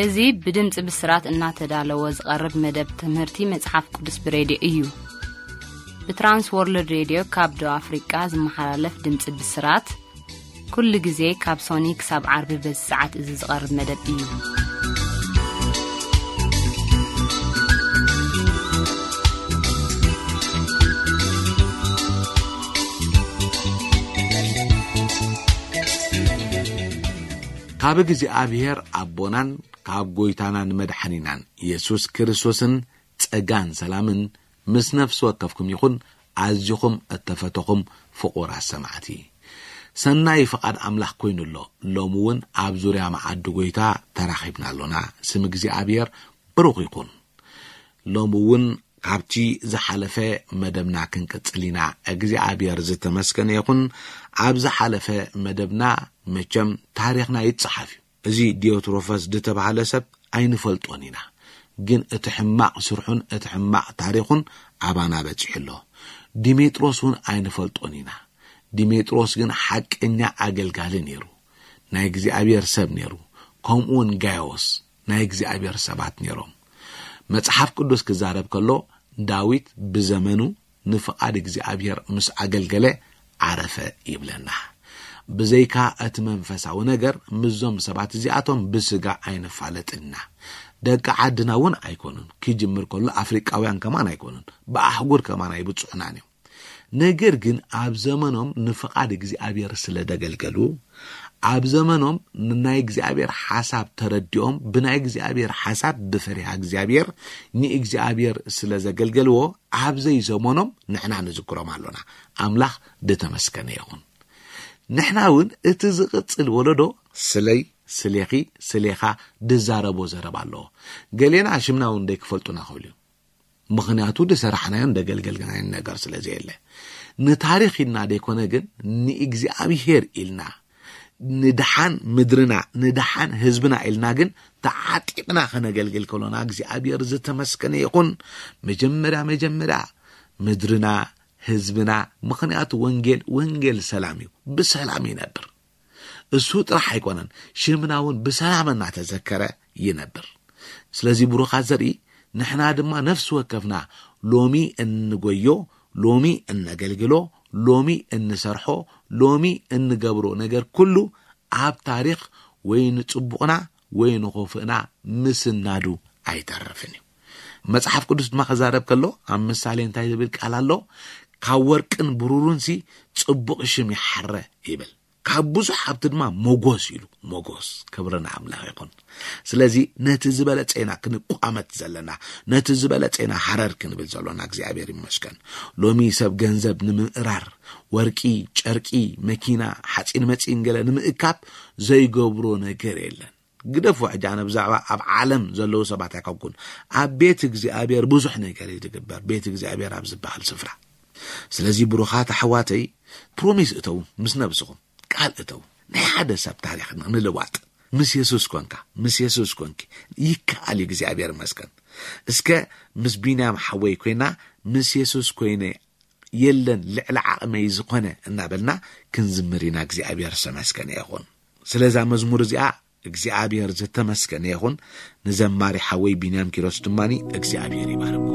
እዚ ብድምፂ ብስራት እናተዳለወ ዝቐርብ መደብ ትምህርቲ መጽሓፍ ቅዱስ ብሬድዮ እዩ። ብትራንስ ወርልድ ሬድዮ ካብ ደቡብ ኣፍሪቃ ዝመሓላለፍ ድምፂ ብስራት፣ ኩሉ ግዜ ካብ ሶኒ ክሳብ ዓርቢ በዚ ሰዓት እዚ ዝቐርብ መደብ እዩ። ካብ እግዚኣብሔር ኣቦናን ካብ ጎይታናን መድሓኒናን የሱስ ክርስቶስን ጸጋን ሰላምን ምስ ነፍሲ ወከፍኩም ይኹን። ኣዚኹም እተፈተኹም ፍቑራት ሰማዕቲ፣ ሰናይ ፍቓድ ኣምላኽ ኮይኑ ኣሎ። ሎሚ እውን ኣብ ዙርያ መዓዲ ጎይታ ተራኺብና ኣሎና። ስም እግዚኣብሔር ብሩኽ ይኹን። ሎሚ እውን ካብቲ ዝሓለፈ መደብና ክንቅጽል ኢና። እግዚኣብሔር ዝተመስገነ ይኹን። ኣብ ዝሓለፈ መደብና መቸም ታሪኽና ይጸሓፍ እዩ። እዚ ዲዮትሮፈስ ዝተባህለ ሰብ ኣይንፈልጦን ኢና፣ ግን እቲ ሕማቕ ስርሑን እቲ ሕማቕ ታሪኹን ኣባና በጺሑ ኣሎ። ዲሜጥሮስ እውን ኣይንፈልጦን ኢና። ዲሜጥሮስ ግን ሓቀኛ ኣገልጋሊ ነይሩ፣ ናይ እግዚኣብሔር ሰብ ነይሩ። ከምኡ እውን ጋዮስ ናይ እግዚኣብሔር ሰባት ነይሮም። መጽሓፍ ቅዱስ ክዛረብ ከሎ ዳዊት ብዘመኑ ንፍቓድ እግዚኣብሔር ምስ ኣገልገለ ዓረፈ ይብለና። ብዘይካ እቲ መንፈሳዊ ነገር ምስዞም ሰባት እዚኣቶም ብስጋ ኣይንፋለጥን ኢና። ደቂ ዓድና እውን ኣይኮኑን። ክጅምር ከሎ ኣፍሪቃውያን ከማን ኣይኮኑን። ብኣህጉር ከማን ኣይብጽሑናን እዮም። ነገር ግን ኣብ ዘመኖም ንፍቓድ እግዚኣብሔር ስለ ደገልገሉ፣ ኣብ ዘመኖም ንናይ እግዚኣብሔር ሓሳብ ተረዲኦም፣ ብናይ እግዚኣብሔር ሓሳብ ብፈሪሃ እግዚኣብሔር ንእግዚኣብሔር ስለ ዘገልገልዎ፣ ኣብ ዘይዘመኖም ንሕና ንዝክሮም ኣሎና። ኣምላኽ ዝተመስገነ ይኹን። ንሕና እውን እቲ ዝቕጽል ወለዶ ስለይ፣ ስሌኺ፣ ስሌኻ ድዛረቦ ዘረባ ኣለዎ። ገሌና ሽምና እውን ደይክፈልጡና ክብሉ እዮም። ምኽንያቱ ዝሰራሕናዮን ዘገልገልናዮን ነገር ስለ ዘየለ። ንታሪኽ ኢልና ዘይኮነ ግን ንእግዚኣብሔር ኢልና፣ ንድሓን ምድርና፣ ንድሓን ህዝብና ኢልና ግን ተዓጢቕና ከነገልግል ከሎና እግዚኣብሔር ዝተመስገነ ይኹን። መጀመርያ መጀመርያ ምድርና፣ ህዝብና፣ ምኽንያቱ ወንጌል፣ ወንጌል ሰላም እዩ። ብሰላም ይነብር። እሱ ጥራሕ ኣይኮነን፣ ሽምና እውን ብሰላም እናተዘከረ ይነብር። ስለዚ ብሩኻት ዘርኢ ንሕና ድማ ነፍሲ ወከፍና ሎሚ እንጎዮ፣ ሎሚ እነገልግሎ፣ ሎሚ እንሰርሖ፣ ሎሚ እንገብሮ ነገር ኩሉ ኣብ ታሪኽ ወይ ንጽቡቕና ወይ ንኸፉእና ምስናዱ ኣይተርፍን እዩ። መጽሓፍ ቅዱስ ድማ ክዛረብ ከሎ ኣብ ምሳሌ እንታይ ዝብል ቃል ኣሎ? ካብ ወርቅን ብሩሩንሲ ጽቡቕ ሽም ይሓረ ይብል። ካብ ብዙሕ ሃብቲ ድማ ሞጎስ ኢሉ። ሞጎስ፣ ክብሪ ንኣምላኽ ይኹን። ስለዚ ነቲ ዝበለጸ ኢና ክንቋመት ዘለና፣ ነቲ ዝበለጸ ኢና ሃረር ክንብል ዘሎና። እግዚኣብሔር ይመስገን። ሎሚ ሰብ ገንዘብ ንምእራር፣ ወርቂ፣ ጨርቂ፣ መኪና፣ ሓጺን መጺን ገለ ንምእካብ ዘይገብሮ ነገር የለን። ግደፎ ሕጂ ኣነ ብዛዕባ ኣብ ዓለም ዘለዉ ሰባት ኣይኮንኩን። ኣብ ቤት እግዚኣብሔር ብዙሕ ነገር እዩ ዝግበር። ቤት እግዚኣብሔር ኣብ ዝበሃል ስፍራ። ስለዚ ብሩኻት ኣሕዋተይ፣ ፕሮሚስ እተዉ፣ ምስ ነብስኹም ቃል እተዉ። ናይ ሓደ ሰብ ታሪኽ ንምልዋጥ ምስ የሱስ ኮንካ፣ ምስ የሱስ ኮንኪ ይከኣል እዩ። እግዚኣብሔር ይመስገን። እስከ ምስ ቢንያም ሓወይ ኮይና፣ ምስ የሱስ ኮይነ የለን ልዕሊ ዓቕመይ ዝኾነ እናበልና ክንዝምር ኢና። እግዚኣብሔር ዝተመስገነ ይኹን። ስለዛ መዝሙር እዚኣ እግዚኣብሔር ዝተመስገነ ይኹን። ንዘማሪ ሓወይ ቢንያም ኪሮስ ድማኒ እግዚኣብሔር ይባርኮ።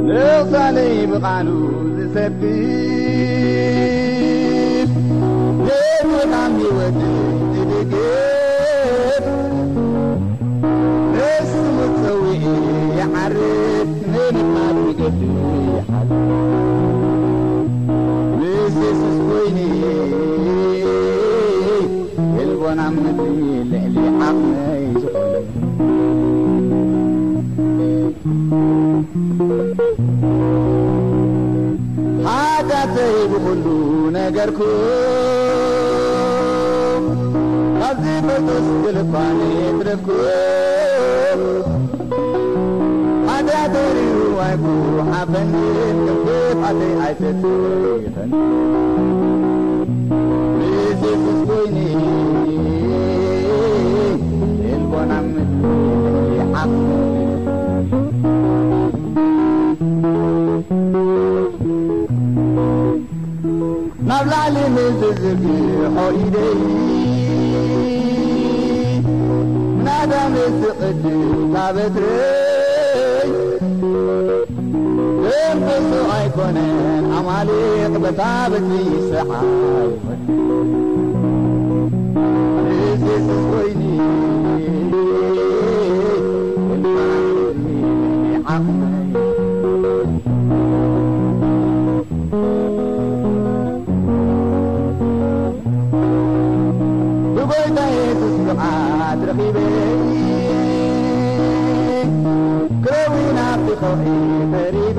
ንቕሳነይ ብቓሉ ዝሰብእ፣ ነቲ ካብ ህይወት ዝድግፍ፣ ንስሙ ጸዊዑ ይዓርፍ፣ ንምድማር ይገድል ይሓልፍ። ምስ የሱስ ኮይነ፣ የልቦና ምድሪ ልዕሊ ዓቕመይ ዝኾነ። ሓጢኣተይ ብኹሉ ነገርኩ፣ ካብ ዝፈልጦስ ገለ እኳ ነየትረፍኩ። ሓጢኣተይ ርኡ ኣይኩሓፈንን፣ ከም ክፍኣተይ ኣይተጸይፈን። ምስ የሱስ ኮይኒ፣ ልቦና ምድሪ ዓቕሚ። ናብ ላዕሊ ምስ ዝዝርግሖ ኢደይ፣ ኣዳም ስቕድ ታበትረይ ደምሶ ኣይኮነን ኣማሌቕ በታ በትሪ ስዓይ። ኢየሱስ ኮይኒ ዓቕመይ። ብጎይታ የሱስ ብቕዓት ረኺበ ክረዊ ናብቲ ከውሒ ቀሪበ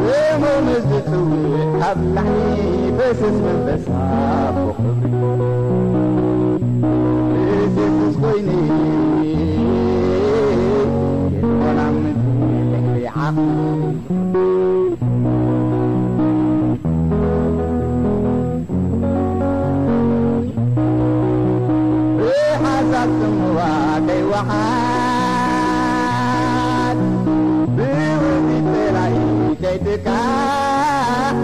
ስሙ ምስ ዝጽውዕ ካብ ላዕሊ ፈስስ መንፈሳ ብኽብሪ ምስ የሱስ ኮይኒ የኮና ምድሪ ልዕሊ ዓቕሚ ብሓሳብ ጽምዋ ከይወሓድ ብውጺት ጸላኢ ከይትካእ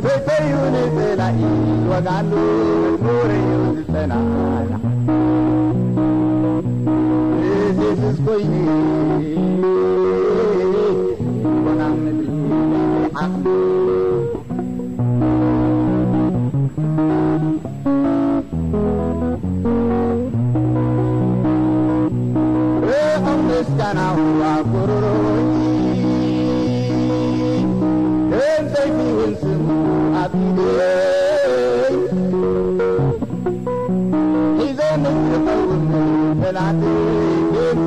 ሰይፈዩ ንጸላኢ ዝወግኣሉ መዝሙር እዩ ዝጸናናዕ። ምስ የሱስ ኮይኑ ይኾና ምድሪ ዓቕሚ። ርሑቕ ምስጋናው ኣኩርሮይ ከም ሰይፊ እውን ስሙ ኣብ ኢደይ ሒዘ ምስ ዝኸውን ፈላጢ ገጽ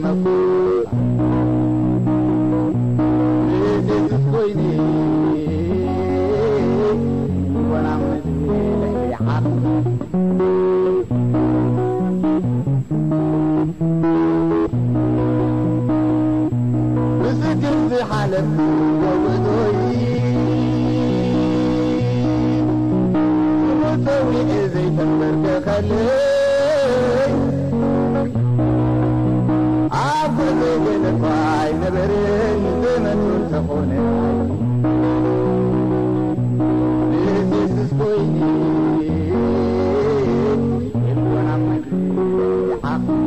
መኩ ምስ የሱስ ኮይኒ ይኾና ምድሪ ልዕሊ ዓቕሚ። ብስግር ዝሓለፍኩዎ ጉዕዞይ ስሙ ጸዊዑ ዘይተንበርከኸለይ ኣብ ጉዕዞይ ገለ እኳ ኣይነበረን ዘመቱ እንተኾነ ምስ የሱስ ኮይኒ የልቦና መግቢ ዓቕሚ።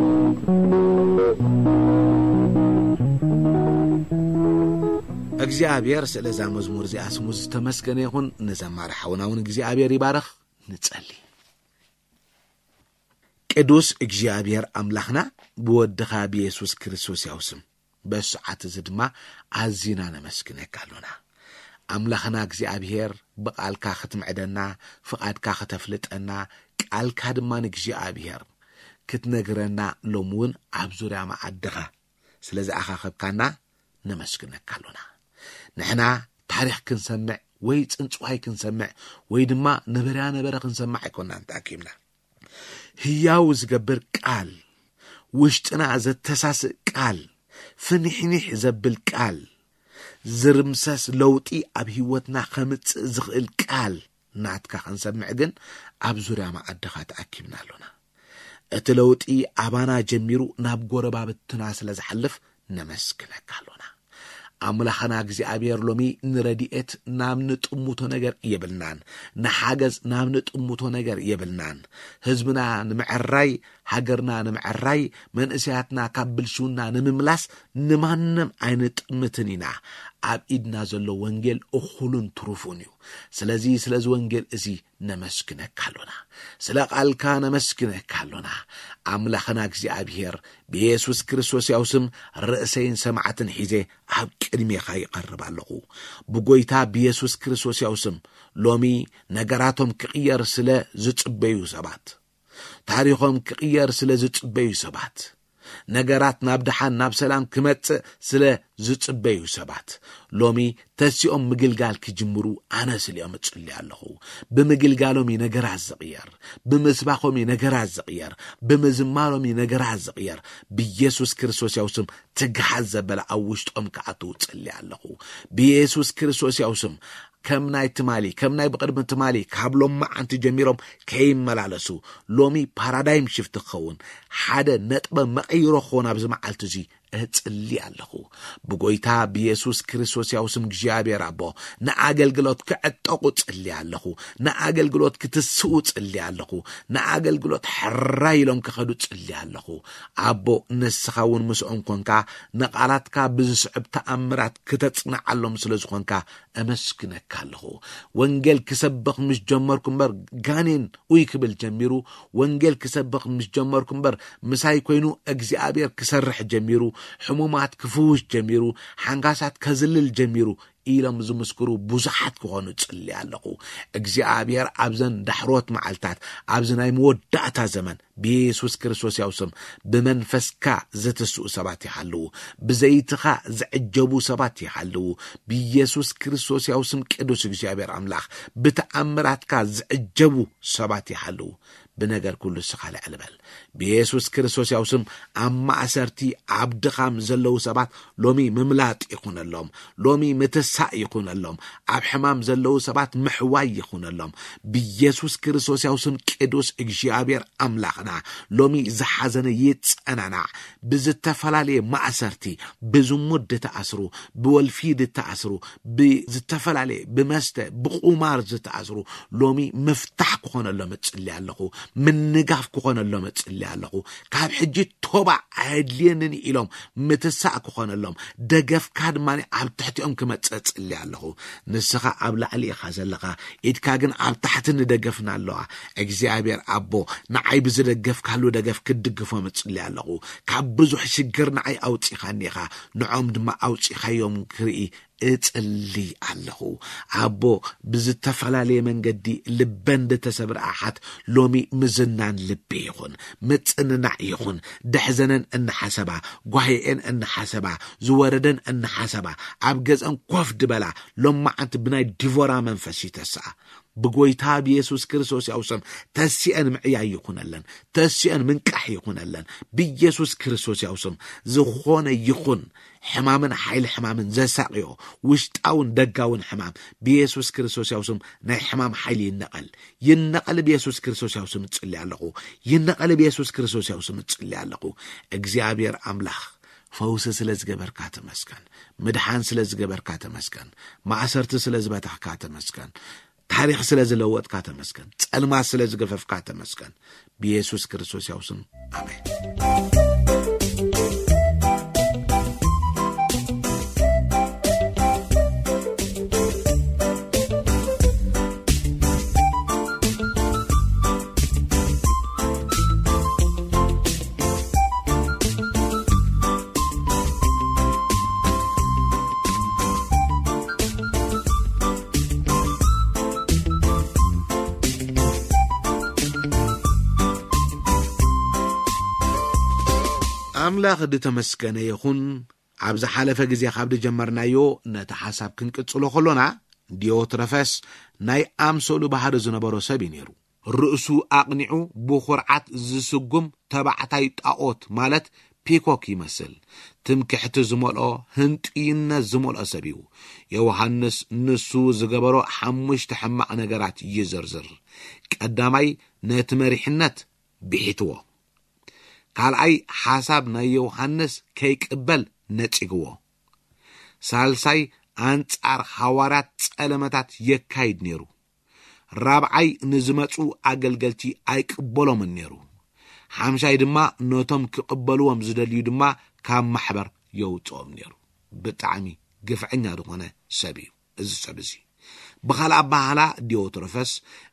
እግዚኣብሔር ስለዛ መዝሙር እዚኣ ስሙ ዝተመስገነ ይኹን። ንዘማሪ ሓውና እውን እግዚኣብሔር ይባርኽ። ንጸሊ። ቅዱስ እግዚኣብሔር ኣምላኽና ብወድኻ ብየሱስ ክርስቶስ ያው ስም በዚ ሰዓት እዚ ድማ ኣዚና ነመስግነካ ኣሎና። ኣምላኽና እግዚኣብሔር ብቓልካ ክትምዕደና፣ ፍቓድካ ክተፍልጠና፣ ቃልካ ድማ ንእግዚኣብሔር ክትነግረና ሎም እውን ኣብ ዙርያ መዓድኻ ስለ ዝኣኻኸብካና ነመስግነካ ኣሎና። ንሕና ታሪኽ ክንሰምዕ ወይ ጽንጽዋይ ክንሰምዕ ወይ ድማ ነበርያ ነበረ ክንሰምዕ ኣይኮናን ተኣኪብና። ህያው ዝገብር ቃል፣ ውሽጥና ዘተሳስእ ቃል፣ ፍኒሕኒሕ ዘብል ቃል፣ ዝርምሰስ ለውጢ ኣብ ህይወትና ከምጽእ ዝኽእል ቃል ናትካ ክንሰምዕ ግን ኣብ ዙርያ መዓድኻ ተኣኪብና ኣሎና። እቲ ለውጢ ኣባና ጀሚሩ ናብ ጎረባብትና ስለ ዝሓልፍ ነመስግነካ ኣሎና። ኣምላኽና እግዚኣብሔር ሎሚ ንረድኤት ናብ ንጥምቶ ነገር የብልናን፣ ንሓገዝ ናብ ንጥምቶ ነገር የብልናን። ህዝብና ንምዕራይ፣ ሃገርና ንምዕራይ፣ መንእሰያትና ካብ ብልሽውና ንምምላስ ንማንም ኣይንጥምትን ኢና። ኣብ ኢድና ዘሎ ወንጌል እኹልን ትሩፉን እዩ። ስለዚ ስለዚ ወንጌል እዚ ነመስግነካ ኣሎና። ስለ ቓልካ ነመስግነካ ኣሎና። ኣምላኽና እግዚኣብሔር ብየሱስ ክርስቶስ ያው ስም ርእሰይን ሰማዕትን ሒዘ ኣብ ቅድሜኻ ይቐርብ ኣለኹ። ብጎይታ ብየሱስ ክርስቶስ ያው ስም ሎሚ ነገራቶም ክቕየር ስለ ዝጽበዩ ሰባት፣ ታሪኾም ክቕየር ስለ ዝጽበዩ ሰባት፣ ነገራት ናብ ደሓን ናብ ሰላም ክመጽእ ስለ ዝጽበዩ ሰባት ሎሚ ተሲኦም ምግልጋል ክጅምሩ ኣነ ስሊኦም እጽሊ ኣለኹ። ብምግልጋሎም እዩ ነገራት ዝቕየር፣ ብምስባኾም እዩ ነገራት ዝቕየር፣ ብምዝማሮም እዩ ነገራት ዝቕየር። ብየሱስ ክርስቶስ ያው ስም ትግሓት ዘበለ ኣብ ውሽጦም ክኣትዉ እጽሊ ኣለኹ። ብየሱስ ክርስቶስ ያው ስም ከም ናይ ትማሊ ከም ናይ ብቕድሚ ትማሊ ካብ ሎማዓንቲ ጀሚሮም ከይመላለሱ ሎሚ ፓራዳይም ሽፍት ክኸውን ሓደ ነጥበ መቐይሮ ክኸውን ኣብዚ መዓልቲ እዚ እጽሊ ኣለኹ። ብጎይታ ብየሱስ ክርስቶስ ያው ስም እግዚኣብሔር ኣቦ፣ ንኣገልግሎት ክዕጠቑ ጽሊ ኣለኹ። ንኣገልግሎት ክትስኡ ጽሊ ኣለኹ። ንኣገልግሎት ሕራይ ኢሎም ክኸዱ ጽሊ ኣለኹ። ኣቦ፣ ንስኻ እውን ምስኦም ኮንካ፣ ንቓላትካ ብዝስዕብ ተኣምራት ክተጽንዓሎም ስለ ዝኾንካ፣ እመስግነካ ኣለኹ። ወንጌል ክሰብኽ ምስ ጀመርኩ እምበር፣ ጋኔን ኡይ ክብል ጀሚሩ። ወንጌል ክሰብኽ ምስ ጀመርኩ እምበር፣ ምሳይ ኮይኑ እግዚኣብሔር ክሰርሕ ጀሚሩ። ሕሙማት ክፍውስ ጀሚሩ። ሓንካሳት ከዝልል ጀሚሩ ኢሎም ዝምስክሩ ብዙሓት ክኾኑ ጽሊ ኣለኹ። እግዚኣብሔር ኣብዘን ዳሕሮት መዓልታት፣ ኣብዚ ናይ መወዳእታ ዘመን፣ ብየሱስ ክርስቶስ ያው ስም ብመንፈስካ ዘተስኡ ሰባት ይሃልዉ። ብዘይትኻ ዝዕጀቡ ሰባት ይሃልዉ። ብየሱስ ክርስቶስ ያው ስም ቅዱስ እግዚኣብሔር ኣምላኽ ብተኣምራትካ ዝዕጀቡ ሰባት ይሃልዉ። ብነገር ኩሉ ስኻ ልዕል በል። ብየሱስ ክርስቶስ ያው ስም ኣብ ማእሰርቲ፣ ኣብ ድኻም ዘለዉ ሰባት ሎሚ ምምላጥ ይኹነሎም። ሎሚ ምትሳእ ይኹነሎም። ኣብ ሕማም ዘለዉ ሰባት ምሕዋይ ይኹነሎም። ብየሱስ ክርስቶስ ያው ስም ቅዱስ እግዚኣብሔር ኣምላኽና፣ ሎሚ ዝሓዘነ ይጸናናዕ። ብዝተፈላለየ ማእሰርቲ፣ ብዝሙት ዝተኣስሩ፣ ብወልፊ ዝተኣስሩ፣ ብዝተፈላለየ፣ ብመስተ፣ ብቁማር ዝተኣስሩ፣ ሎሚ ምፍታሕ ክኾነሎም እጽሊ ኣለኹ። ምንጋፍ ክኾነሎም እጽሊ ኣለኹ። ካብ ሕጂ ቶባ ኣየድልየንን ኢሎም ምትሳእ ክኾነሎም፣ ደገፍካ ድማ ኣብ ትሕቲኦም ክመጽእ እጽሊ ኣለኹ። ንስኻ ኣብ ላዕሊ ኢኻ ዘለኻ፣ ኢድካ ግን ኣብ ታሕቲ ንደገፍና ኣለዋ። እግዚኣብሔር ኣቦ፣ ንዓይ ብዝደገፍካሉ ደገፍ ክትድግፎም እጽሊ ኣለኹ። ካብ ብዙሕ ሽግር ንዓይ ኣውጺኻኒ ኢኻ፣ ንዖም ድማ ኣውጺኻዮም ክርኢ እጽሊ ኣለኹ። ኣቦ፣ ብዝተፈላለየ መንገዲ ልበን ዝተሰብረ ኣሓት ሎሚ ምዝናን ልቢ ይኹን፣ ምጽንናዕ ይኹን። ደሕዘነን እናሓሰባ፣ ጓሂኤን እናሓሰባ፣ ዝወረደን እናሓሰባ፣ ኣብ ገዝአን ኮፍ ድበላ፣ ሎማዓንቲ ብናይ ዲቮራ መንፈስ ይተስኣ። ብጎይታ ብየሱስ ክርስቶስ ያው ስም ተሲአን ምዕያይ ይኹነለን፣ ተሲአን ምንቃሕ ይኹነለን። ብየሱስ ክርስቶስ ያው ስም ዝኾነ ይኹን ሕማምን ሓይሊ ሕማምን ዘሳቕዮ ውሽጣውን ደጋውን ሕማም ብየሱስ ክርስቶስ ያው ስም ናይ ሕማም ሓይሊ ይነቐል። ይነቐል ብየሱስ ክርስቶስ ያው ስም እጽሊ ኣለኹ። ይነቐል ብየሱስ ክርስቶስ ያው ስም እጽሊ ኣለኹ። እግዚኣብሔር ኣምላኽ ፈውሲ ስለ ዝገበርካ ተመስገን። ምድሓን ስለ ዝገበርካ ተመስገን። ማእሰርቲ ስለ ዝበታኽካ ተመስገን። ታሪኽ ስለ ዝለወጥካ ተመስገን። ጸልማት ስለ ዝገፈፍካ ተመስገን። ብየሱስ ክርስቶስ ያው ስም ኣሜን። ኣምላኽ ዝተመስገነ ይኹን። ኣብ ዝሓለፈ ግዜ ካብ ዝጀመርናዮ ነቲ ሓሳብ ክንቅጽሎ ከሎና፣ ዲዮትረፈስ ናይ ኣምሰሉ ባህሪ ዝነበሮ ሰብ እዩ ነይሩ። ርእሱ ኣቕኒዑ ብኹርዓት ዝስጉም ተባዕታይ ጣኦት፣ ማለት ፒኮክ ይመስል። ትምክሕቲ ዝመልኦ፣ ህንጡይነት ዝመልኦ ሰብ እዩ። ዮሃንስ ንሱ ዝገበሮ ሓሙሽተ ሕማቕ ነገራት ይዝርዝር። ቀዳማይ፣ ነቲ መሪሕነት ብሒትዎ። ካልኣይ፣ ሓሳብ ናይ ዮሃንስ ከይቅበል ነጺግዎ። ሳልሳይ፣ ኣንጻር ሃዋርያት ጸለመታት የካይድ ነይሩ። ራብዓይ፣ ንዝመጹ ኣገልገልቲ ኣይቅበሎምን ነይሩ። ሓምሻይ ድማ፣ ነቶም ክቕበልዎም ዝደልዩ ድማ ካብ ማሕበር የውጽኦም ነይሩ። ብጣዕሚ ግፍዐኛ ዝኾነ ሰብ እዩ እዚ ሰብ እዚ። ብኻልእ ኣበሃህላ፣ ዲዮትሮፈስ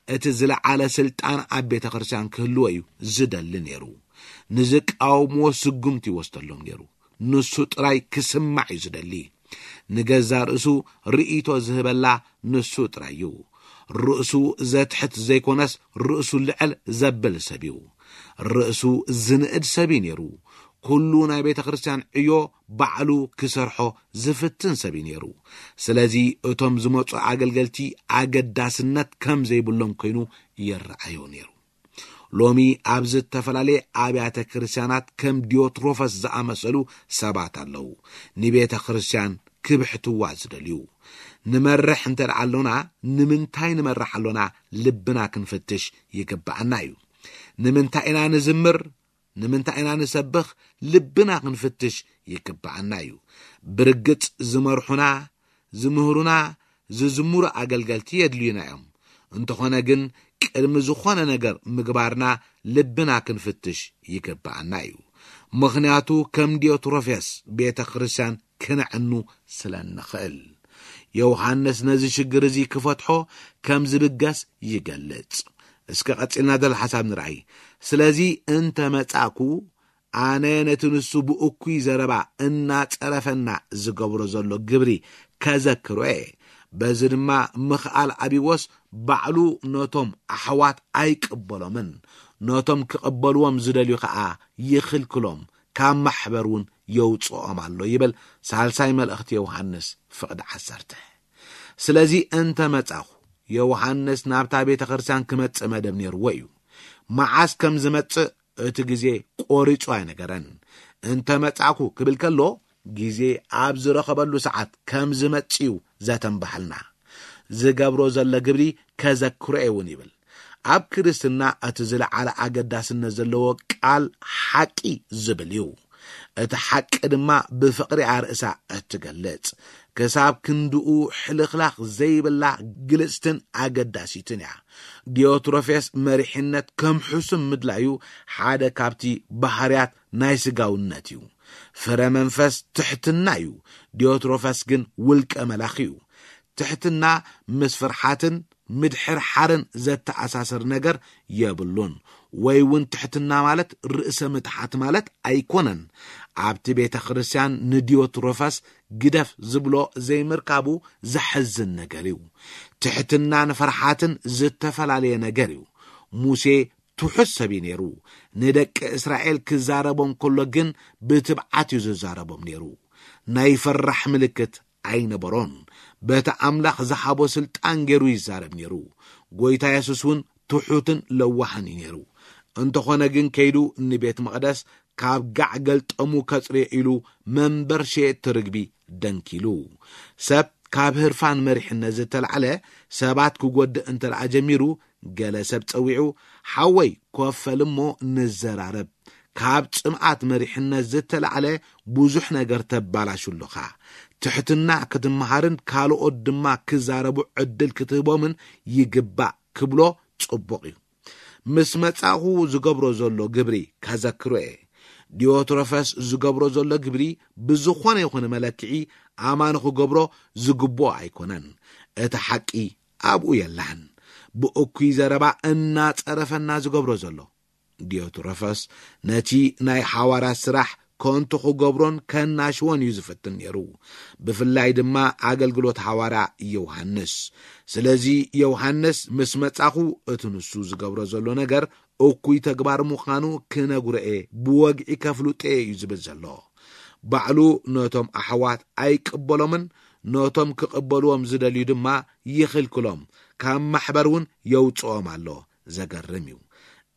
እቲ ዝለዓለ ስልጣን ኣብ ቤተ ክርስቲያን ክህልዎ እዩ ዝደሊ ነይሩ። ንዝቃወምዎ ስጉምቲ ይወስደሎም ነይሩ። ንሱ ጥራይ ክስማዕ እዩ ዝደሊ። ንገዛ ርእሱ ርእይቶ ዝህበላ ንሱ ጥራይ እዩ። ርእሱ ዘትሕት ዘይኮነስ፣ ርእሱ ልዕል ዘብል ሰብ እዩ። ርእሱ ዝንእድ ሰብ እዩ ነይሩ። ኩሉ ናይ ቤተ ክርስቲያን ዕዮ ባዕሉ ክሰርሖ ዝፍትን ሰብ እዩ ነይሩ። ስለዚ እቶም ዝመጹ ኣገልገልቲ ኣገዳስነት ከም ዘይብሎም ኮይኑ ይረኣዮ ነይሩ። ሎሚ ኣብ ዝተፈላለየ ኣብያተ ክርስቲያናት ከም ዲዮትሮፈስ ዝኣመሰሉ ሰባት ኣለዉ፣ ንቤተ ክርስቲያን ክብሕትዋ ዝደልዩ። ንመርሕ እንተ ደኣ ኣሎና፣ ንምንታይ ንመርሕ ኣሎና? ልብና ክንፍትሽ ይግብኣና እዩ። ንምንታይ ኢና ንዝምር? ንምንታይ ኢና ንሰብኽ? ልብና ክንፍትሽ ይግብኣና እዩ። ብርግጽ ዝመርሑና፣ ዝምህሩና፣ ዝዝምሩ ኣገልገልቲ የድልዩና እዮም። እንተኾነ ግን ቅድሚ ዝኾነ ነገር ምግባርና ልብና ክንፍትሽ ይግብኣና እዩ። ምኽንያቱ ከም ዲዮትሮፌስ ቤተ ክርስቲያን ክነዕኑ ስለ እንኽእል። ዮሃንስ ነዚ ሽግር እዚ ክፈትሖ ከም ዝብገስ ይገልጽ። እስከ ቀጺልና ዘሎ ሓሳብ ንርኣይ። ስለዚ እንተ መጻእኩ ኣነ ነቲ ንሱ ብእኩይ ዘረባ እናጸረፈና ዝገብሮ ዘሎ ግብሪ ከዘክሮ እየ። በዚ ድማ ምኽኣል ኣቢዎስ ባዕሉ ነቶም ኣሕዋት ኣይቅበሎምን፣ ነቶም ክቕበልዎም ዝደልዩ ኸኣ ይኽልክሎም፣ ካብ ማሕበር እውን የውጽኦም ኣሎ ይብል ሳልሳይ መልእኽቲ ዮሃንስ ፍቕዲ ዓሰርተ። ስለዚ እንተ መጻኹ ዮሃንስ ናብታ ቤተ ክርስቲያን ክመጽእ መደብ ነይርዎ እዩ። መዓስ ከም ዝመጽእ እቲ ግዜ ቆሪጹ ኣይነገረን። እንተ መጻእኩ ክብል ከሎ ግዜ ኣብ ዝረኸበሉ ሰዓት ከም ዝመጽእ እዩ ዘተንባሕልና። ዝገብሮ ዘሎ ግብሪ ከዘክሮ እውን ይብል። ኣብ ክርስትና እቲ ዝለዓለ ኣገዳስነት ዘለዎ ቃል ሓቂ ዝብል እዩ። እቲ ሓቂ ድማ ብፍቕሪ ኣርእሳ እትገልጽ፣ ክሳብ ክንድኡ ሕልኽላኽ ዘይብላ ግልጽትን ኣገዳሲትን እያ። ዲዮትሮፌስ መሪሕነት ከም ሕሱም ምድላዩ ሓደ ካብቲ ባህርያት ናይ ስጋውነት እዩ። ፍረ መንፈስ ትሕትና እዩ። ዲዮትሮፈስ ግን ውልቀ መላኺ እዩ። ትሕትና ምስ ፍርሓትን ምድሕርሓርን ዘተኣሳስር ነገር የብሉን። ወይ እውን ትሕትና ማለት ርእሰ ምትሓት ማለት ኣይኮነን። ኣብቲ ቤተ ክርስቲያን ንዲዮትሮፈስ ግደፍ ዝብሎ ዘይምርካቡ ዘሕዝን ነገር እዩ። ትሕትናን ፍርሓትን ዝተፈላለየ ነገር እዩ። ሙሴ ትሑት ሰብ እዩ ነይሩ። ንደቂ እስራኤል ክዛረቦም ከሎ ግን ብትብዓት እዩ ዝዛረቦም ነይሩ። ናይ ፈራሕ ምልክት ኣይነበሮን። በቲ ኣምላኽ ዝሃቦ ስልጣን ገይሩ ይዛረብ ነይሩ። ጎይታ የሱስ እውን ትሑትን ለዋህን እዩ ነይሩ። እንተኾነ ግን ከይዱ ንቤት መቕደስ ካብ ጋዕ ገልጠሙ ከጽርዮ ኢሉ መንበር ሸየጥቲ ርግቢ ደንኪሉ። ሰብ ካብ ህርፋን መሪሕነት ዝተላዕለ ሰባት ክጎድእ እንተ ደኣ ጀሚሩ፣ ገለ ሰብ ጸዊዑ፣ "ሓወይ ኮፈል እሞ ንዘራረብ። ካብ ጽምኣት መሪሕነት ዝተላዕለ ብዙሕ ነገር ተባላሹ ኣለኻ። ትሕትና ክትመሃርን ካልኦት ድማ ክዛረቡ ዕድል ክትህቦምን ይግባእ" ክብሎ ጽቡቕ እዩ። ምስ መጻእኹ ዝገብሮ ዘሎ ግብሪ ከዘክሮ እየ። ዲዮትሮፈስ ዝገብሮ ዘሎ ግብሪ ብዝኾነ ይኹን መለክዒ ኣማኒ ክገብሮ ዝግብኦ ኣይኮነን። እቲ ሓቂ ኣብኡ የላን። ብእኩይ ዘረባ እናጸረፈና ዝገብሮ ዘሎ። ዲዮትሮፈስ ነቲ ናይ ሓዋርያት ስራሕ ከንቱ ክገብሮን ከናሽዎን እዩ ዝፍትን ነይሩ። ብፍላይ ድማ ኣገልግሎት ሓዋርያ ዮሃንስ። ስለዚ ዮሃንስ ምስ መጻኹ እቲ ንሱ ዝገብሮ ዘሎ ነገር እኩይ ተግባር ምዃኑ ክነግሮ እየ፣ ብወግዒ ከፍልጦ እየ እዩ ዝብል ዘሎ። ባዕሉ ነቶም ኣሕዋት ኣይቅበሎምን፣ ነቶም ክቕበልዎም ዝደልዩ ድማ ይኽልክሎም፣ ካብ ማሕበር እውን የውጽኦም ኣሎ። ዘገርም እዩ።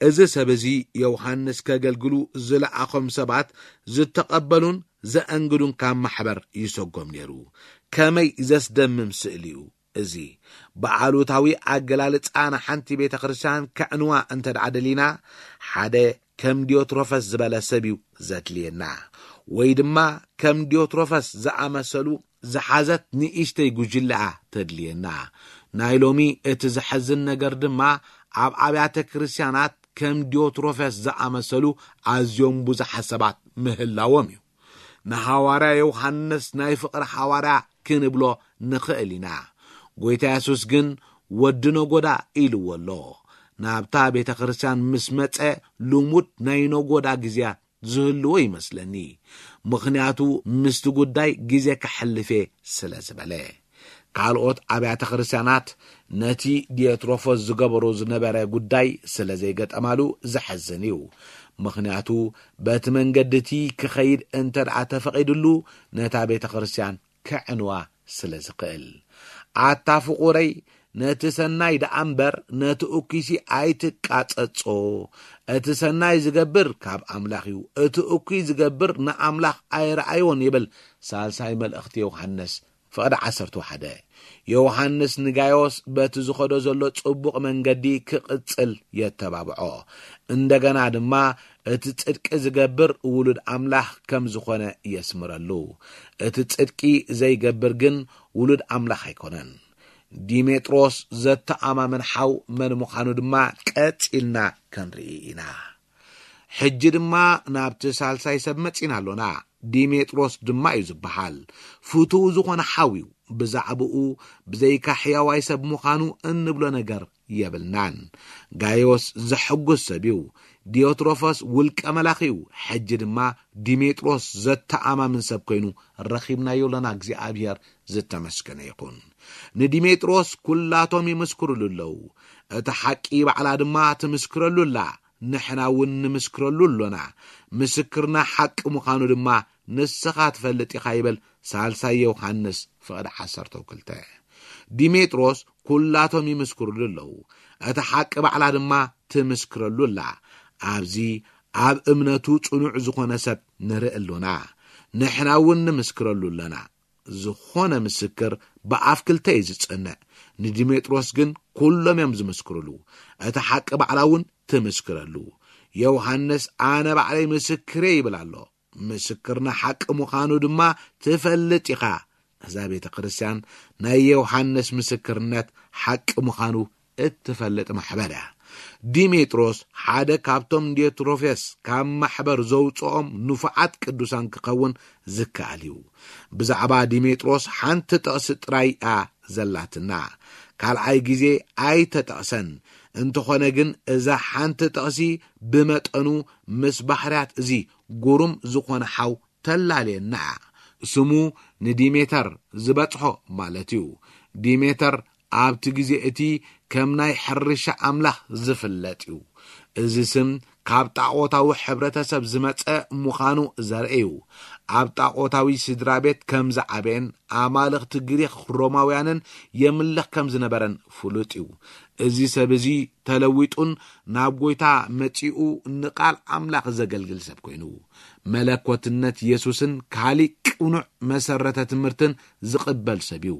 እዚ ሰብ እዚ ዮሃንስ ከገልግሉ ዝለኣኾም ሰባት ዝተቐበሉን ዘአንግዱን ካብ ማሕበር ይሰጎም ነይሩ። ከመይ ዘስደምም ስእሊ እዩ እዚ! ብኣሉታዊ ኣገላልጻ ንሓንቲ ቤተ ክርስቲያን ከዕንዋ እንተ ደኣ ደሊና፣ ሓደ ከም ዲዮትሮፈስ ዝበለ ሰብ እዩ ዘድልየና። ወይ ድማ ከም ዲዮትሮፈስ ዝኣመሰሉ ዝሓዘት ንእሽተይ ጉጅለኣ ተድልየና። ናይ ሎሚ እቲ ዘሐዝን ነገር ድማ ኣብ ኣብያተ ክርስቲያናት ከም ዲዮትሮፈስ ዝኣመሰሉ ኣዝዮም ብዙሓት ሰባት ምህላዎም እዩ። ንሃዋርያ ዮሃንስ ናይ ፍቕሪ ሃዋርያ ክንብሎ ንኽእል ኢና። ጎይታ የሱስ ግን ወዲ ነጎዳ ኢልዎ ኣሎ። ናብታ ቤተ ክርስቲያን ምስ መጸ ልሙድ ናይ ነጎዳ ግዜያት ዝህልዎ ይመስለኒ። ምኽንያቱ ምስቲ ጉዳይ ግዜ ከሕልፍ እየ ስለ ዝበለ። ካልኦት ኣብያተ ክርስቲያናት ነቲ ዲዮትሮፎስ ዝገበሮ ዝነበረ ጉዳይ ስለ ዘይገጠማሉ ዘሐዝን እዩ። ምኽንያቱ በቲ መንገዲ እቲ ክኸይድ እንተ ደኣ ተፈቒድሉ ነታ ቤተ ክርስቲያን ከዕንዋ ስለ ዝኽእል። ኣታ ፍቑረይ፣ ነቲ ሰናይ ደኣ እምበር ነቲ እኩይሲ ኣይትቃጸጾ። እቲ ሰናይ ዝገብር ካብ ኣምላኽ እዩ፣ እቲ እኩይ ዝገብር ንኣምላኽ ኣይረኣዮን ይብል ሳልሳይ መልእኽቲ ዮሃንስ ፍቕዲ ዓሰርተ ሓደ። ዮሃንስ ንጋዮስ በቲ ዝኸዶ ዘሎ ጽቡቕ መንገዲ ክቕጽል የተባብዖ። እንደገና ድማ እቲ ጽድቂ ዝገብር ውሉድ ኣምላኽ ከም ዝኾነ የስምረሉ። እቲ ጽድቂ ዘይገብር ግን ውሉድ ኣምላኽ ኣይኮነን። ዲሜጥሮስ ዘተኣማምን ሓው መን ምዃኑ ድማ ቀጺልና ክንርኢ ኢና። ሕጂ ድማ ናብቲ ሳልሳይ ሰብ መጺና ኣሎና። ዲሜጥሮስ ድማ እዩ ዝበሃል። ፍቱው ዝኾነ ሓው እዩ። ብዛዕባኡ ብዘይካ ሕያዋይ ሰብ ምዃኑ እንብሎ ነገር የብልናን። ጋዮስ ዘሐጉስ ሰብ እዩ። ዲዮትሮፈስ ውልቀ መላኺ እዩ። ሕጂ ድማ ዲሜጥሮስ ዘተኣማምን ሰብ ኮይኑ ረኺብናዮ ኣለና። እግዚኣብሔር ዝተመስገነ ይኹን። ንዲሜጥሮስ ኩላቶም ይምስክሩሉ ኣለዉ። እቲ ሓቂ ባዕላ ድማ ትምስክረሉ ኣላ። ንሕና እውን ንምስክረሉ ኣሎና። ምስክርና ሓቂ ምዃኑ ድማ ንስኻ ትፈልጥ ኢኻ ይብል ሳልሳይ ዮሃንስ ፍቕዲ ዓሰርተ ክልተ። ዲሜጥሮስ ኩላቶም ይምስክሩሉ ኣለዉ። እቲ ሓቂ ባዕላ ድማ ትምስክረሉ ኣላ። ኣብዚ ኣብ እምነቱ ጽኑዕ ዝኾነ ሰብ ንርኢ ኣሎና። ንሕና እውን ንምስክረሉ ኣለና። ዝኾነ ምስክር ብኣፍ ክልተ እዩ ዝጸንዕ። ንዲሜጥሮስ ግን ኩሎም እዮም ዝምስክሩሉ። እቲ ሓቂ ባዕላ እውን ትምስክረሉ። ዮሃንስ ኣነ ባዕለይ ምስክር እየ ይብል ኣሎ። ምስክርና ሓቂ ምዃኑ ድማ ትፈልጥ ኢኻ። እዛ ቤተ ክርስቲያን ናይ ዮሃንስ ምስክርነት ሓቂ ምዃኑ እትፈልጥ ማሕበር እያ። ዲሜጥሮስ ሓደ ካብቶም ዲዮትሮፌስ ካብ ማሕበር ዘውፅኦም ንፉዓት ቅዱሳን ክኸውን ዝከኣል እዩ። ብዛዕባ ዲሜጥሮስ ሓንቲ ጥቕሲ ጥራይ እያ ዘላትና። ካልኣይ ግዜ ኣይተጠቕሰን። እንተኾነ ግን እዛ ሓንቲ ጥቕሲ ብመጠኑ ምስ ባህርያት እዚ ግሩም ዝኾነ ሓው ተላልየና። ስሙ ንዲሜተር ዝበጽሖ ማለት እዩ። ዲሜተር ኣብቲ ግዜ እቲ ከም ናይ ሕርሻ ኣምላኽ ዝፍለጥ እዩ። እዚ ስም ካብ ጣዖታዊ ሕብረተሰብ ዝመጸ ምዃኑ ዘርኢ እዩ። ኣብ ጣዖታዊ ስድራ ቤት ከም ዝዓበየን ኣማልኽቲ ግሪኽ ሮማውያንን የምልኽ ከም ዝነበረን ፍሉጥ እዩ። እዚ ሰብ እዚ ተለዊጡን ናብ ጎይታ መጺኡ ንቓል ኣምላኽ ዘገልግል ሰብ ኮይኑ፣ መለኮትነት የሱስን ካሊእ ቅኑዕ መሰረተ ትምህርትን ዝቕበል ሰብ እዩ።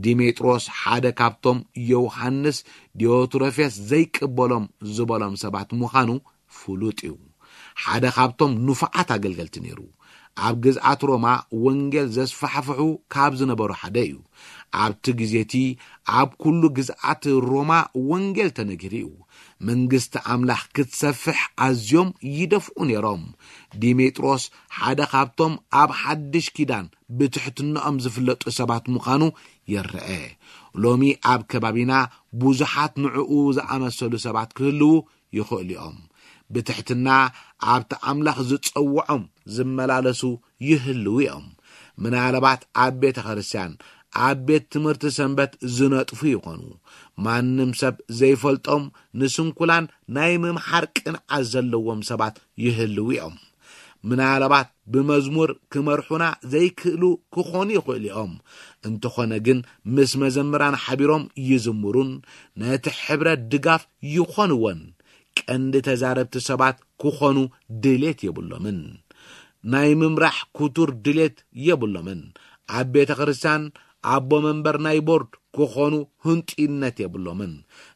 ዲሜጥሮስ ሓደ ካብቶም ዮሃንስ ዲዮትሮፌስ ዘይቅበሎም ዝበሎም ሰባት ምዃኑ ፍሉጥ እዩ። ሓደ ካብቶም ንፉዓት ኣገልገልቲ ነይሩ። ኣብ ግዝኣት ሮማ ወንጌል ዘስፋሕፍሑ ካብ ዝነበሩ ሓደ እዩ። ኣብቲ ግዜ እቲ ኣብ ኩሉ ግዝኣት ሮማ ወንጌል ተነጊሩ እዩ። መንግስቲ ኣምላኽ ክትሰፍሕ ኣዝዮም ይደፍኡ ነይሮም። ዲሜጥሮስ ሓደ ካብቶም ኣብ ሓድሽ ኪዳን ብትሕትናኦም ዝፍለጡ ሰባት ምዃኑ ይረአ። ሎሚ ኣብ ከባቢና ብዙሓት ንዕኡ ዝኣመሰሉ ሰባት ክህልዉ ይኽእሉ እዮም። ብትሕትና ኣብቲ ኣምላኽ ዝጸውዖም ዝመላለሱ ይህልዉ እዮም። ምናልባት ኣብ ቤተ ክርስቲያን፣ ኣብ ቤት ትምህርቲ ሰንበት ዝነጥፉ ይኾኑ። ማንም ሰብ ዘይፈልጦም ንስንኩላን ናይ ምምሓር ቅንዓት ዘለዎም ሰባት ይህልዉ እዮም። ምናልባት ብመዝሙር ክመርሑና ዘይክእሉ ክኾኑ ይኽእሉ እዮም። እንተኾነ ግን ምስ መዘምራን ሓቢሮም ይዝምሩን ነቲ ሕብረት ድጋፍ ይኾንዎን። ቀንዲ ተዛረብቲ ሰባት ክኾኑ ድሌት የብሎምን። ናይ ምምራሕ ክቱር ድሌት የብሎምን። ኣብ ቤተ ክርስቲያን ኣቦ መንበር ናይ ቦርድ ክኾኑ ህንጡይነት የብሎምን።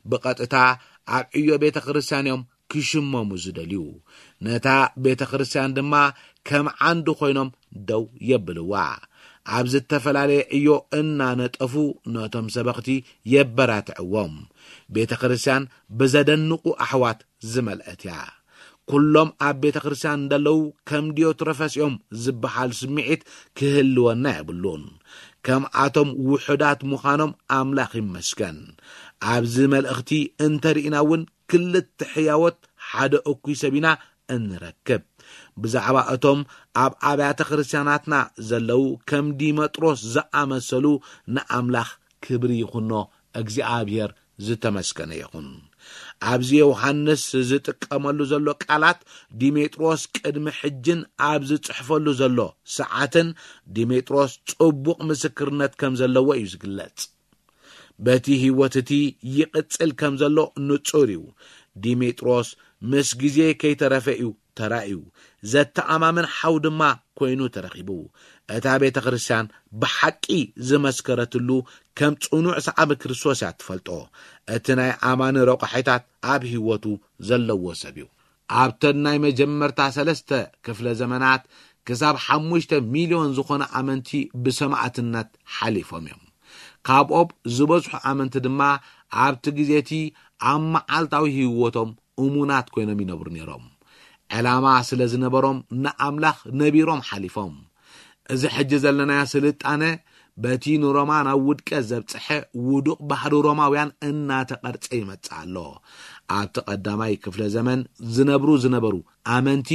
ብቐጥታ ኣብ ዕዮ ቤተ ክርስቲያን እዮም ክሽመሙ ዝደልዩ። ነታ ቤተ ክርስቲያን ድማ ከም ዓንዲ ኮይኖም ደው የብልዋ። ኣብ ዝተፈላለየ ዕዮ እናነጠፉ ነቶም ሰበኽቲ የበራትዕዎም። ቤተ ክርስቲያን ብዘደንቑ ኣሕዋት ዝመልአት እያ። ኩሎም ኣብ ቤተ ክርስቲያን እንደለዉ ከም ዲዮትረፈስ እዮም ዝበሃል ስምዒት ክህልወና የብሉን። ከምኣቶም ውሑዳት ምዃኖም ኣምላኽ ይመስገን። ኣብዚ መልእኽቲ እንተርኢና እውን ክልተ ሕያወት ሓደ እኩይ ሰብ ኢና እንረክብ። ብዛዕባ እቶም ኣብ ኣብያተ ክርስቲያናትና ዘለዉ ከም ዲመጥሮስ ዝኣመሰሉ ንኣምላኽ ክብሪ ይኹኖ፣ እግዚኣብሔር ዝተመስገነ ይኹን። ኣብዚ ዮሃንስ ዝጥቀመሉ ዘሎ ቃላት ዲሜጥሮስ ቅድሚ ሕጅን ኣብ ዝጽሕፈሉ ዘሎ ሰዓትን ዲሜጥሮስ ጽቡቕ ምስክርነት ከም ዘለዎ እዩ ዝግለጽ። በቲ ህይወት እቲ ይቕጽል ከም ዘሎ ንጹር እዩ። ዲሜጥሮስ ምስ ግዜ ከይተረፈ እዩ ተራእዩ፣ ዘተኣማምን ሓው ድማ ኮይኑ ተረኺቡ። እታ ቤተ ክርስቲያን ብሓቂ ዝመስከረትሉ ከም ጽኑዕ ሰዓቢ ክርስቶስ እያ ትፈልጦ። እቲ ናይ ኣማኒ ረቋሒታት ኣብ ህይወቱ ዘለዎ ሰብ እዩ። ኣብተን ናይ መጀመርታ ሰለስተ ክፍለ ዘመናት ክሳብ ሓሙሽተ ሚልዮን ዝኾነ ኣመንቲ ብሰማዕትነት ሓሊፎም እዮም። ካብኦም ዝበዝሑ ኣመንቲ ድማ ኣብቲ ግዜ እቲ ኣብ መዓልታዊ ህይወቶም እሙናት ኮይኖም ይነብሩ ነይሮም። ዕላማ ስለ ዝነበሮም ንኣምላኽ ነቢሮም ሓሊፎም። እዚ ሕጂ ዘለናዮ ስልጣነ በቲ ንሮማ ናብ ውድቀት ዘብጽሐ ውዱቕ ባህሪ ሮማውያን እናተቐርጸ ይመጽእ ኣሎ። ኣብቲ ቀዳማይ ክፍለ ዘመን ዝነብሩ ዝነበሩ ኣመንቲ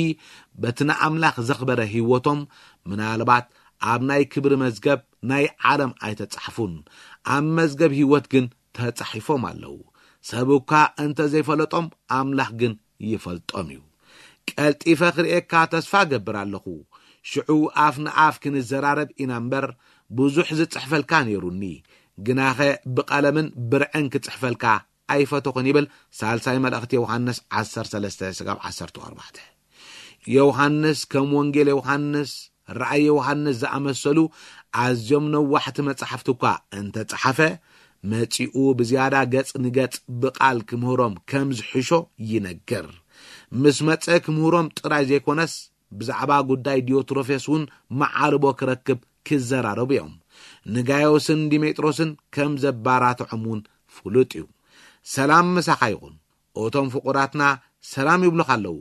በቲ ንኣምላኽ ዘኽበረ ህይወቶም ምናልባት ኣብ ናይ ክብሪ መዝገብ ናይ ዓለም ኣይተጻሕፉን። ኣብ መዝገብ ህይወት ግን ተጻሒፎም ኣለዉ። ሰብ እኳ እንተ ዘይፈለጦም ኣምላኽ ግን ይፈልጦም እዩ። ቀልጢፈ ክርእየካ ተስፋ እገብር ኣለኹ። ሽዑ ኣፍ ንኣፍ ክንዘራረብ ኢና እምበር ብዙሕ ዝጽሕፈልካ ነይሩኒ። ግናኸ ብቐለምን ብርዕን ክጽሕፈልካ ኣይፈተኹን ይብል ሳልሳይ መልእኽቲ ዮሃንስ ዓሰርተ ሰለስተ ስጋብ ዓሰርተ ኣርባዕተ። ዮሃንስ ከም ወንጌል ዮሃንስ፣ ራእይ ዮሃንስ ዝኣመሰሉ ኣዝዮም ነዋሕቲ መጻሕፍቲ እኳ እንተጸሓፈ፣ መጺኡ ብዝያዳ ገጽ ንገጽ ብቓል ክምህሮም ከም ዝሕሾ ይነግር። ምስ መጸ ክምህሮም ጥራይ ዘይኮነስ፣ ብዛዕባ ጉዳይ ዲዮትሮፌስ እውን መዓርቦ ክረክብ ክዘራረቡ እዮም። ንጋዮስን ዲሜጥሮስን ከም ዘባራትዖም እውን ፍሉጥ እዩ። ሰላም ምሳኻ ይኹን። እቶም ፍቑራትና ሰላም ይብሉኻ ኣለዉ።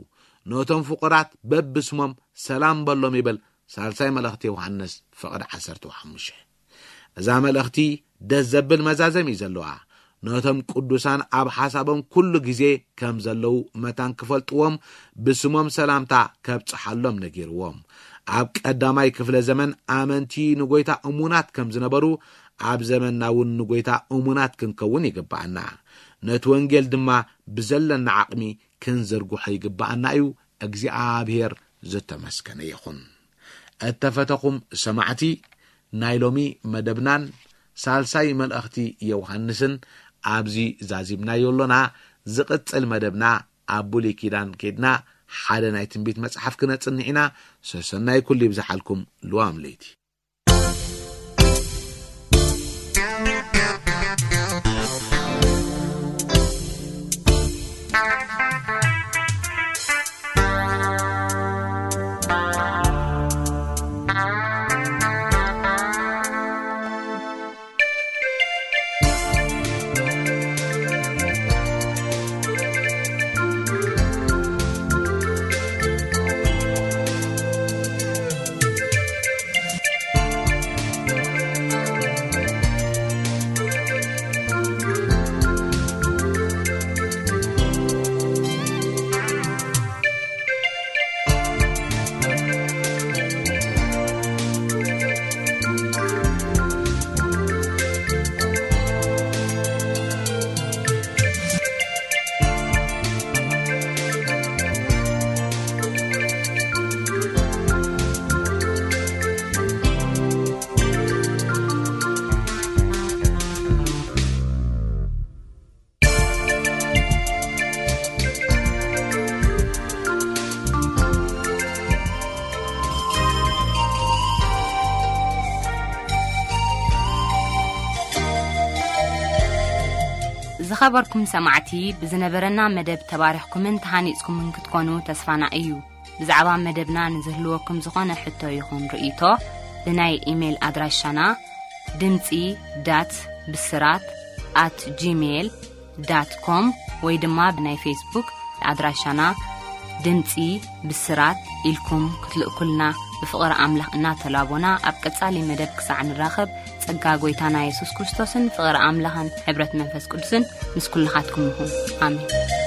ነቶም ፍቑራት በብስሞም ሰላም በሎም ይብል ሳልሳይ መልእኽቲ ዮሃንስ ፍቕዲ ዓሰርተ ሓሙሽተ። እዛ መልእኽቲ ደስ ዘብል መዛዘም እዩ ዘለዋ። ነቶም ቅዱሳን ኣብ ሓሳቦም ኩሉ ግዜ ከም ዘለዉ መታን ክፈልጥዎም ብስሞም ሰላምታ ከብጽሓሎም ነጊርዎም። ኣብ ቀዳማይ ክፍለ ዘመን ኣመንቲ ንጎይታ እሙናት ከም ዝነበሩ ኣብ ዘመንና እውን ንጎይታ እሙናት ክንከውን ይግብኣና። ነቲ ወንጌል ድማ ብዘለና ዓቕሚ ክንዝርግሖ ይግብኣና እዩ። እግዚኣብሔር ዝተመስገነ ይኹን። እተፈተኹም ሰማዕቲ፣ ናይ ሎሚ መደብናን ሳልሳይ መልእኽቲ ዮሃንስን ኣብዚ ዛዚምናዮ ኣሎና። ዝቕጽል መደብና ኣብ ብሉይ ኪዳን ኬድና ሓደ ናይ ትንቢት መጽሓፍ ክነጽንዕ ኢና። ሰሰናይ ኩሉ ይብዝሓልኩም። ልዋም ለይቲ። ዝኸበርኩም ሰማዕቲ፣ ብዝነበረና መደብ ተባሪኽኩምን ተሃኒጽኩምን ክትኮኑ ተስፋና እዩ። ብዛዕባ መደብና ንዝህልወኩም ዝኾነ ሕቶ ይኹን ርእይቶ፣ ብናይ ኢሜይል ኣድራሻና ድምጺ ዳት ብስራት ኣት ጂሜይል ዳት ኮም ወይ ድማ ብናይ ፌስቡክ ኣድራሻና ድምጺ ብስራት ኢልኩም ክትልእኩልና ብፍቕሪ ኣምላኽ እናተላቦና፣ ኣብ ቀጻሊ መደብ ክሳዕ ንራኸብ፣ ጸጋ ጐይታና የሱስ ክርስቶስን ፍቕሪ ኣምላኽን ሕብረት መንፈስ ቅዱስን ምስ ኩልኻትኩም ይኹን። ኣሜን።